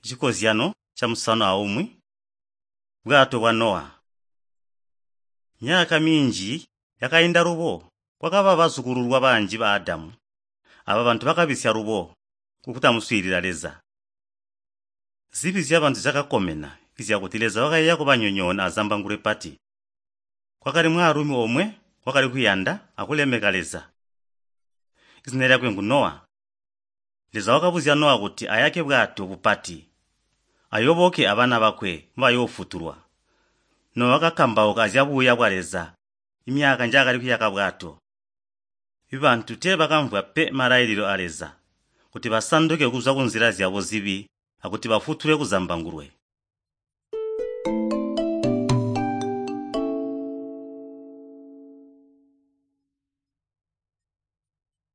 Cikozyano 61, Bwato bwa Nowa. Myaka minji yakainda lubo, kwakaba bazukululwa banji ba Adamu. Aba bantu bakabisya lubo kukutamuswiilila Leza. Zibi zyabantu zyakakomena izyakuti Leza wakayeeya kubanyonyoona azambangulwe pati. Kwakali mwaalumi omwe wakali kuyanda akulemeka Leza. Izina lyakwe ngu Nowa. Leza wakabuzya Nowa kuti ayake bwato bupati, ayoboke abana bakwe mbayoofutulwa. Nowa wakakambauka azyabuuya bwa Leza imyaka njaakali kuyaka bwato. Ibantu teebakamvwa pe malailile a Leza kuti basanduke kuzwa kunzila zyabo zibi akuti bafutulwe kuzambangulwe.